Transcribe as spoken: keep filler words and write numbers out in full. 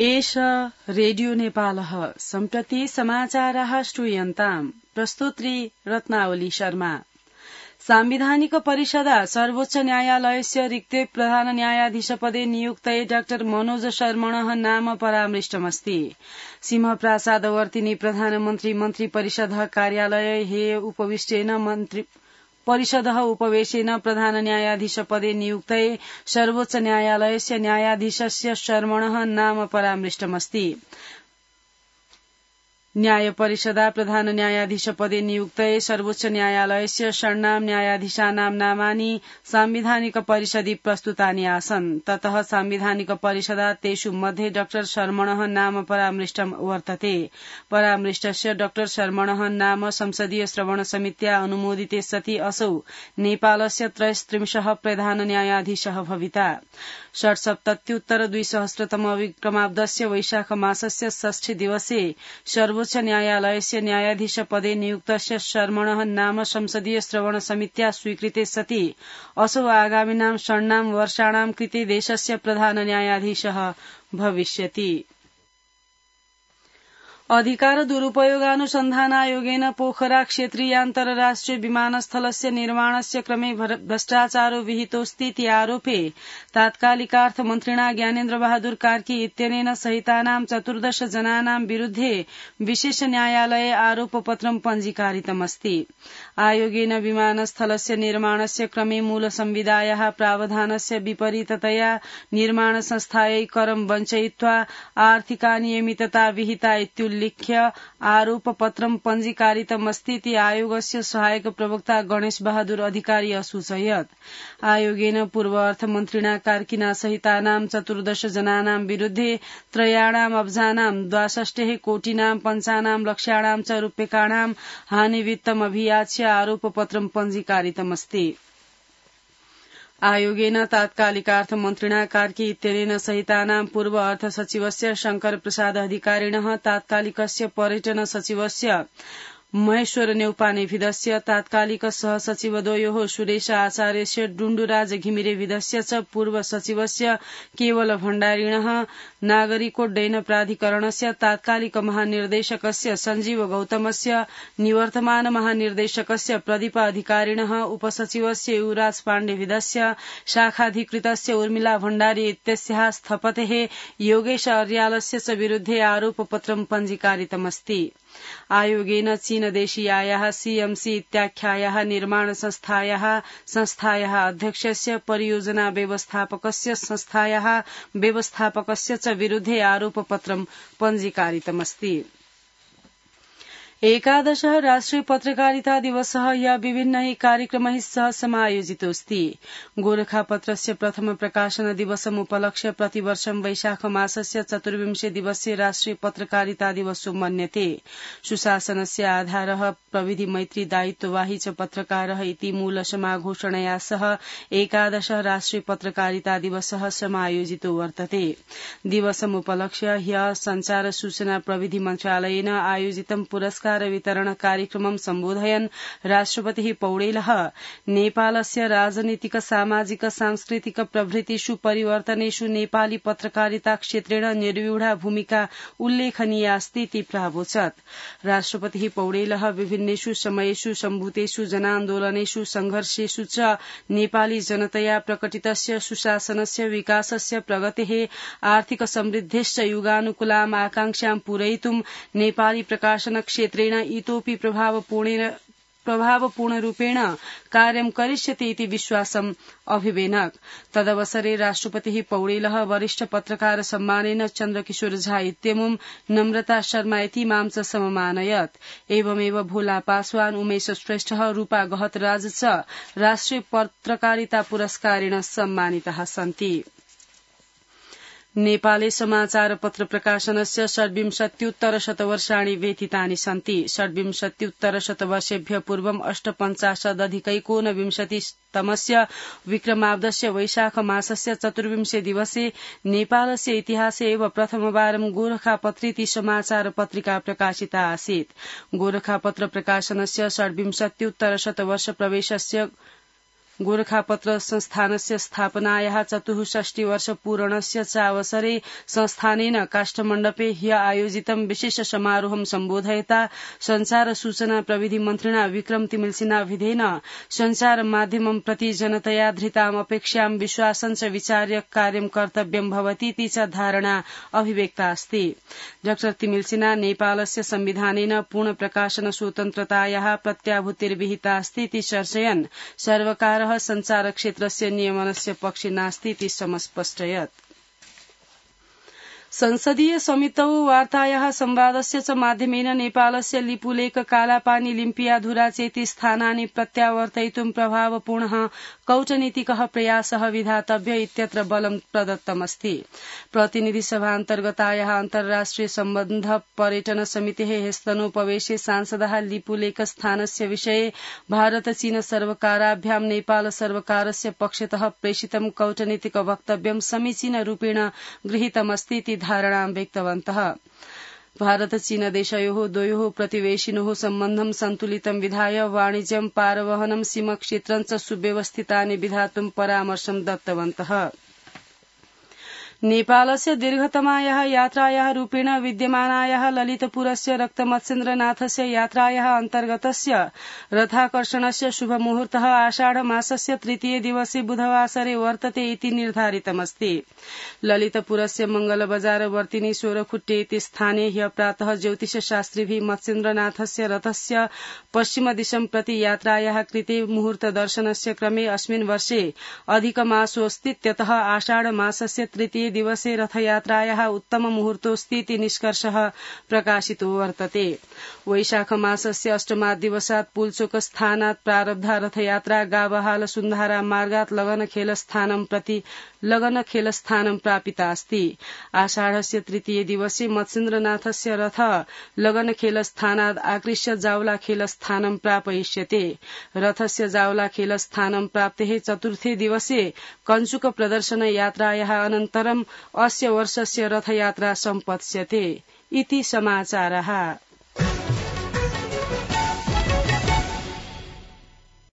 एष रेडियो नेपालः सम्प्रति समाचारः श्रूयन्ताम् प्रस्तुत्री रत्नावली शर्मा। सांविधानिक परिषदा सर्वोच्च न्यायालयस्य रिक्ते प्रधान न्यायाधीशपदे नियुक्तये डाक्टर मनोज शर्मणः नाम परामृष्टमस्ति। सिंहप्रासादवर्तिनी प्रधानमन्त्री मन्त्री परिषदः कार्यालये हे उपविष्टेन मन्त्री परिषदः उपवेशेन प्रधान न्यायाधीशपदे नियुक्तये सर्वोच्च न्यायालयस्य न्यायाधीशस्य शर्मणः नाम परामृष्टमस्ति। न्याय परिषदा प्रधान न्यायाधीशपदे नियुक्तये सर्वोच्च न्यायालयस्य षण्णां न्यायाधीशानां नामानि सांविधानिक परिषदि प्रस्तुतानि आसन्। ततः सांविधानिक परिषदा तेषु मध्ये डाक्टर शर्मणः नाम परामृष्टं वर्तते। परामृष्टस्य डाक्टर शर्मणः नाम संसदीय श्रवण समित्या अनुमोदिते सति असौ नेपालस्य त्रयस्त्रिंशः प्रधान न्यायाधीशः भविता। षट्सप्तत्युत्तर द्विसहस्रतम विक्रमाब्दस्य वैशाख मासस्य षष्ठी दिवसे सर्वोच्च न्यायालयस्य न्यायाधीशपदे नियुक्तस्य शर्मणः नाम संसदीय श्रवण समित्या स्वीकृते सति असौ आगामिनां षण्णां वर्षाणां कृते देशस्य प्रधान न्यायाधीशः भविष्यति। अधिकार दुरुपयोगानुसन्धानायोगेन पोखरा क्षेत्रीयान्तरराष्ट्रिय विमानस्थलस्य निर्माणस्य क्रमे भ्रष्टाचारो विहितोऽस्तीति आरोपे तात्कालिकार्थमन्त्रिणा ज्ञानेन्द्र बहादुर कार्की इत्यनेन सहितानां चतुर्दश जनानां विरुद्धे विशेष न्यायालये आरोपपत्रं पञ्जीकारितमस्ति। आयोगेन विमानस्थलस्य निर्माणस्य क्रमे मूल संविधायाः प्रावधानस्य विपरीततया निर्माण संस्थायै करं वञ्चयित्वा आर्थिकानियमितता विहिता इत्युल्लिख्य आरोपपत्रं पञ्जीकारितमस्तीति आयोगस्य सहायक प्रवक्ता गणेश बहादुर अधिकारी असूचयत्। आयोगेन पूर्व अर्थमन्त्रिणा कार्किना सहितानां चतुर्दश जनानां विरुद्धे त्रयाणां अब्जानां द्वाषष्टिः कोटिनां पञ्चानां लक्ष्याणां च रूप्यकाणां हानिवित्तम् अभियाच्य आरोपपत्रं पञ्जीकारितमस्ति। आयोगेन तात्कालिकार्थमन्त्रिणा कार्की इत्यनेन सहितानां पूर्व अर्थ सचिवस्य शंकर प्रसाद अधिकारिणः तात्कालिकस्य पर्यटन सचिवस्य महेश्वर न्यौपानेभिदस्य तात्कालिक सहसचिवद्वयोः सुरेश आचार्यस्य डुण्डुराज घिमिरेभिदस्य च पूर्व सचिवस्य केवल भण्डारिणः नागरिकोड्डयन प्राधिकरणस्य तात्कालिक महानिर्देशकस्य सञ्जीव गौतमस्य निवर्तमान महानिर्देशकस्य प्रदीप अधिकारिणः उपसचिवस्य युवराज पाण्डेभिदस्य शाखाधिकृतस्य उर्मिला भण्डारी इत्यस्याः स्थपतेः योगेश अर्यालस्य च विरुद्धे आरोपपत्रं पञ्जीकारितमस्ति। आयोगेन चीनदेशीयायाः सीएमसी इत्याख्यायाः निर्माण संस्थायाः संस्थायाः अध्यक्षस्य परियोजना व्यवस्थापकस्य संस्थायाः व्यवस्थापकस्य च विरुद्धे आरोपपत्रं पञ्जीकारितमस्ति। एकादशः राष्ट्रिय पत्रकारिता दिवसः ह्यः विभिन्नैः कार्यक्रमैः सह समायोजितोऽस्ति। गोरखापत्रस्य प्रथम प्रकाशन दिवसमुपलक्ष्य प्रतिवर्षं वैशाख मासस्य चतुर्विंशे दिवसे राष्ट्रिय पत्रकारिता दिवसो मन्यते। सुशासनस्य आधारः प्रविधि मैत्री दायित्ववाही च पत्रकारः इति मूल समाघोषणया सह एकादशः राष्ट्रिय पत्रकारिता दिवसः समायोजितो वर्तते। दिवसमुपलक्ष्य ह्यः संचार सूचना प्रविधि मन्त्रालयेन आयोजितं पुरस्कार वितरण कार्यक्रमं सम्बोधयन् राष्ट्रपतिः पौडेलः नेपालस्य राजनीतिक सामाजिक सांस्कृतिक प्रभृतिषु परिवर्तनेषु नेपाली पत्रकारिता क्षेत्रेण निर्व्यूढा भूमिका उल्लेखनीया अस्ति इति प्रावोचत्। राष्ट्रपतिः पौडेलः विभिन्नेषु समयेषु सम्भूतेषु जनान्दोलनेषु संघर्षेषु च नेपाली जनतया प्रकटितस्य सुशासनस्य विकासस्य प्रगतेः आर्थिक समृद्धेश्च युगानुकूलाम् आकांक्षां पूरयितुं नेपाली प्रकाशन क्षेत्रे इतोपि प्रभावपूर्णेन प्रभावपूर्णरूपेण कार्यं करिष्यति इति विश्वासम् अभिवेनक्। तदवसरे राष्ट्रपतिः पौडेलः वरिष्ठ पत्रकार सम्मानेन चन्द्रकिशोर झा इत्यमुं नम्रता शर्मा इतीमां च सममानयत्। एवमेव भोला पासवान उमेश श्रेष्ठः रूपा गहतराज च राष्ट्रिय पत्रकारिता पुरस्कारेण सम्मानिताः सन्ति। नेपाले समाचार पत्र प्रकाशनस्य षड्विंशत्युत्तर शतवर्षाणि व्यतीतानि सन्ति। षड्विंशत्युत्तर शतवर्षेभ्यः पूर्वम् अष्टपञ्चाशदधिकैकोनविंशतितमस्य विक्रमाब्दस्य वैशाख मासस्य चतुर्विंशे दिवसे नेपालस्य इतिहासे एव प्रथमवारं गोरखापत्रीति समाचार पत्रिका प्रकाशिता आसीत्। गोरखापत्र प्रकाशनस्य षड्विंशत्युत्तर शतवर्ष प्रवेशस्य गोरखापत्र संस्थानस्य स्थापनायाः चतुःषष्टिवर्षपूरणस्य च अवसरे संस्थानेन काष्ठमण्डपे ह्य आयोजितं विशेष समारोहं सम्बोधयता संचार सूचना प्रविधि मन्त्रिणा विक्रम तिमिल्सिना विधेन संचार माध्यमं प्रति जनतया धृताम् अपेक्षां विश्वासं च विचार्य कार्यं कर्तव्यं भवतीति च धारणा अभिव्यक्ता अस्ति। डाक्टर तिमिल्सिना नेपालस्य संविधानेन पूर्ण प्रकाशन स्वतन्त्रतायाः प्रत्याभूतिर्विहिता अस्ति इति चर्चयन् सर्वकार संचार क्षेत्रस्य नियमनस्य पक्षे नास्ति इति समस्पष्टयत्। संसदीय समितौ वार्तायाः संवादस्य च माध्यमेन नेपालस्य लिपुलेख कालापानी लिम्पियाधुरा चेति स्थानानि प्रत्यावर्तयितुं प्रभावपूर्णः कौटनीतिकः प्रयासः विधातव्य इत्यत्र बलं प्रदत्तमस्ति। प्रतिनिधि सभान्तर्गतायाः अन्तर्राष्ट्रिय सम्बन्ध पर्यटन समितेः ह्यस्तनोपवेशे सांसदाः लिपुलेख स्थानस्य विषये भारत चीन सर्वकाराभ्यां नेपाल सर्वकारस्य पक्षतः प्रेषितं कौटनीतिक वक्तव्यं समीचीन रूपेण गृहीतमस्ति इति धारणां व्यक्तवन्तः। भारत चीन देशयोः द्वयोः प्रतिवेशिनोः सम्बन्धं सन्तुलितं विधाय वाणिज्यं पारवहनं सीमक्षेत्रं च सुव्यवस्थितानि विधातुं परामर्शं दत्तवन्तः। नेपालस्य दीर्घतमायाः यात्रायाः रूपेण विद्यमानायाः ललितपुरस्य रक्तमत्स्येन्द्रनाथस्य यात्रायाः अन्तर्गतस्य रथाकर्षणस्य शुभमुहूर्तः आषाढ मासस्य तृतीये दिवसे बुधवासरे वर्तते इति निर्धारितमस्ति। ललितपुरस्य मंगलबजारवर्तिनि सोरखुट्टे इति स्थाने ह्य प्रातः ज्योतिषशास्त्रिभिः मत्स्येन्द्रनाथस्य रथस्य पश्चिमदिशं प्रति यात्रायाः कृते मुहूर्तदर्शनस्य क्रमे अस्मिन् वर्षे अधिकमासोऽस्तीत्यतः आषाढ मासस्य तृतीये दिवसे रथयात्रायाः उत्तम मुहूर्तोऽस्ति इति निष्कर्षः प्रकाशितो वर्तते। वैशाख मासस्य अष्टमात् दिवसात् पुल्चोक स्थानात् प्रारब्धा रथयात्रा गावहाल सुन्धारा मार्गात् लगनखेलस्थानं प्रति लगनखेलस्थानं प्रापिता अस्ति। आषाढस्य तृतीये दिवसे मत्स्येन्द्रनाथस्य रथ लगनखेलस्थानात् आकृष्य जावलाखेलस्थानं प्रापयिष्यते। रथस्य जावलाखेलस्थानं प्राप्तेः चतुर्थे दिवसे कञ्चुक प्रदर्शन यात्रायाः अनन्तरं अस्य वर्षस्य रथयात्रा सम्पत्स्यते इति समाचारः।